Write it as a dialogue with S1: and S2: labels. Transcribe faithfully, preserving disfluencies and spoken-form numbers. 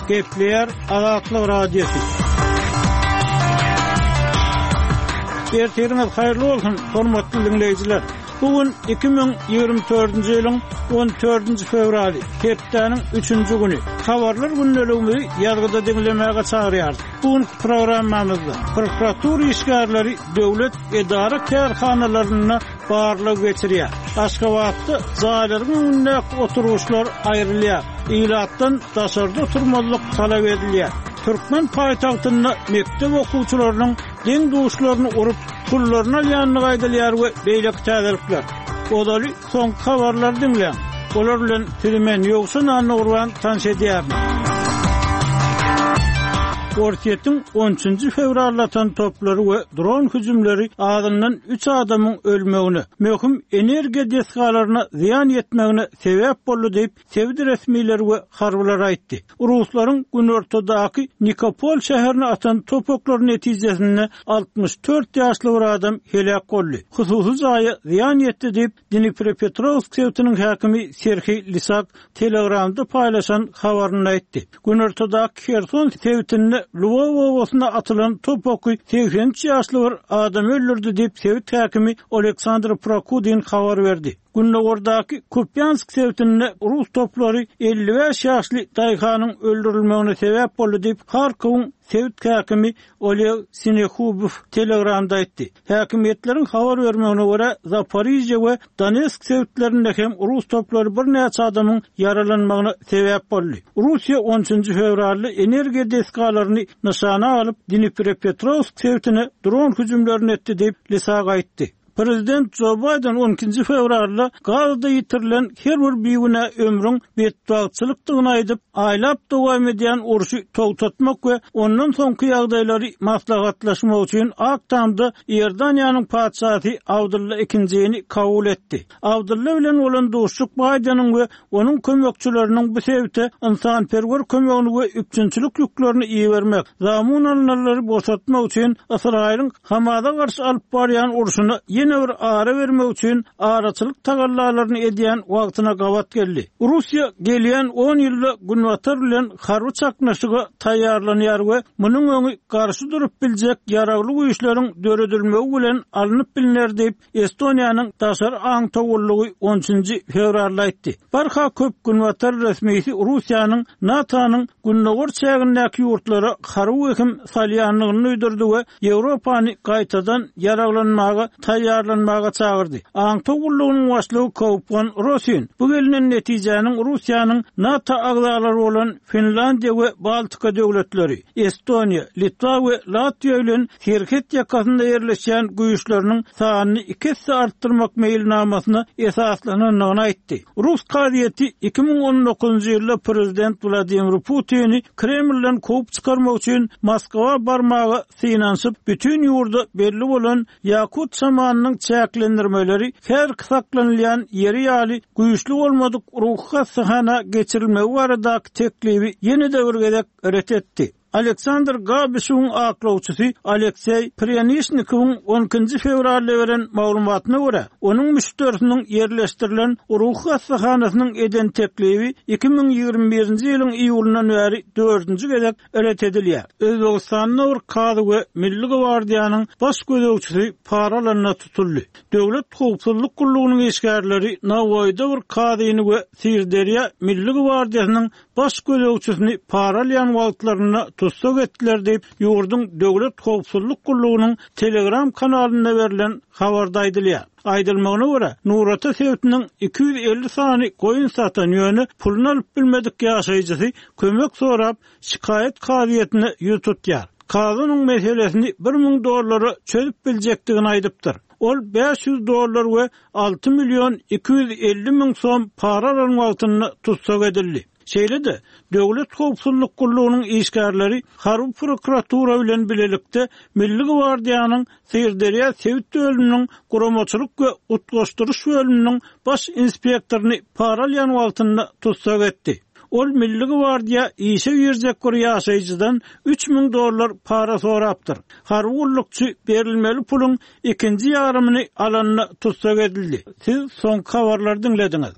S1: Gepleýär Azatlyk Radiosy. Ertiriňiz haýyrly bolsun, hormatly diňleýjiler. Bu gün iki müň ýigrimi dördünji ýylyň on dördünji fewraly, hepdäniň üçünji güni. Habarlar gündeligimizi ýazgyda diňlemäge çagyrýarys. Bu günki programmamyzda prokuratura işgärleri döwlet edara-kärhanalarynda barlag geçirýär. Aşgabatda jaýlaryň öňündäki oturgyçlar aýrylýar. Ilatdan daşarda oturmazlyk talap edilýär. Türkmen paýtagtynda mekdep okuwçylarynyň deň-duşlaryny urup, pullaryny alýandygy aýdylýar we beýleki täzelikler. Ozaly soňky habarlary diňläň. Olar bilen sizi men Ýowşan Annagurban tanyş edýärin. Orsýetiň on üçünji fewralda atan toplary we dron hüjümleri azyndan üç adamyň ölmegine, möhüm energiýa desgalaryna zyýan ýetmegine sebäp boldy diýip, sebit resmileri we harbylar aýtdy. Ruslaryň günortadaky Nikopol şäherine atan topaklary netijesinde altmyş dört ýaşly bir adam heläk boldy. Hususy jaýa zyýan ýetdi diýip, Dniprepetrowsk sebitiniň häkimi Serhiý Lisak Telegramda paýlaşan habarynda aýtdy. Günortadaky Herson sebitinde Lwow obasyna atylan top oky segsen üç ýaşly bir adamy öldürdi diýip, sebit häkimi Oleksandr Prokudin habar berdi. Gündogardaky Kupýansk sebitinde rus toplary elli bäş ýaşly daýhanyň öldürilmegine sebäp boldy diýip, Harkowyň sebit häkimi Oleg Sinehubow Telegramda aýtdy. Häkimiýetleriň habar bermegine görä, Zaporizhye we Donetsk sebitlerinde hem rus toplary birnäçe adamyň ýaralanmagyna sebäp boldy. Russiýa on üçünji fewralda energiýa desgalaryny nyşana alyp, Dniprepetrowsk sebitine dron hüjümlerini etdi diýip, Lisak aýtdy. Prezident Joe Biden on ikinji fewralda Gazada ýitirilen her bir bigünä ömrüň betbagtçylykdygyny aýdyp, aýlap dowam edýän urşy togtatmak we ondan soňky ýagdaýlary maslahatlaşmak üçin Ak Tamda Iordaniýanyň patyşasy Abdylla ikinjini kabul etdi. Abdylla bilen bolan duşuşyk Baýdeniň we onuň kömekçileriniň bu sebite ynsanperwer kömegini we üpjünçilik ýüklerini ibermek, zamun alynanlary boşatmak üçin Ysraýylyň Hamaza garşy alyp barýan urşuna ýene bir ara bermek üçin araçylyk tagallalaryny edýän wagtyna gabat geldi. Russiýa gelýän on ýylda Günbatar bilen harby çaknyşyga taýýarlanýar we munuň öňi garşy durup biljek ýaragly güýçleriň döredilmegi bilen alnyp bilner diýip, Estoniýanyň daşary aňtawullygy on üçünji fewralda aýtdy. Barha köp Günbatar resmisi Russiýanyň NATO-nyň gündogar çägindäki ýurtlara harby wehim salýandygyny duýdurdy we Ýewropany gaýtadan ýaraglanmaga taýýarlanmaga çagyrdy. Aňtaw gullugynyň başlygy Kaupwan Rosin bu gelinen netijäniň Russiýanyň NATO agzalary bolan Finlandiýa we Baltika döwletleri, Estoniýa, Litwa we Latwiýa bilen serhet ýakasynda ýerleşýän güýçleriniň sanyny iki esse artdyrmak meýilnamasyna esaslanandygyny aýtdy. Rus kazyýeti iki müň on dokuzynjy ýylda prezident Wladimir Putini Kremlden kowup çykarmak üçin Moskwa barmaga synanyşyp, bütün ýurda belli bolan Ýakut şamanynyň çäklendirmeleri her saklanylýan ýeri ýaly güýçli bolmadyk ruhy hassahana geçirilmegi baradaky teklibi ýene-de bir gezek ret etdi. Aleksandr Gabişewiň aklawçysy Alekseý Prýanişnikowyň on ikinji fewralda beren maglumatyna görä, onuň müşderisiniň ýerleşdirilen ruhy hassahanasynyň eden teklibi iki müň ýigrimi birinji ýylyň iýulyndan bäri dördünji gezek ret edilýär. Özbegistanda bir kazy we Milli gwardiýanyň baş gözegçisi para alanda tutuldy. Döwlet howpsuzlyk gullugynyň işgärleri Nawoýda bir kazyny we Sirderýa Milli gwardiýasynyň baş gözegçisini para alýan wagtlarynda tussag etdiler diýip, ýurduň Döwlet howpsuzlyk gullugynyň Telegram kanalynda berlen habarda aýdylýar. Aýdylmagyna görä, Nurata sebitiniň iki ýüz elli sany goýun satan ýöne puluny alyp bilmedik ýaşaýjysy kömek sorap şikaýat kazyýetine ýüz tutýar. Kazynyň meselesini bir müň dollara çözüp biljekdigini aýdypdyr. Ol bäş ýüz dollar we alty million iki ýüz elli müň som para alan wagtynda tussag edildi. Şeýle-de, Döwlet howpsuzlyk gullugynyň işgärleri harby prokuratura bilen bilelikde Milli gwardiýanyň Sirderýa sebit bölüminiň guramaçylyk we utgaşdyryş bölüminiň baş inspektoryny para alýan wagtynda tussag etdi. Ol Milli gwardiýa işe girjek bir ýaşaýjydan üç müň dollar para sorapdyr. Harby gullukçy berilmeli puluň ikinji ýarymyny alanda tussag edildi. Siz soňky habarlary diňlediňiz.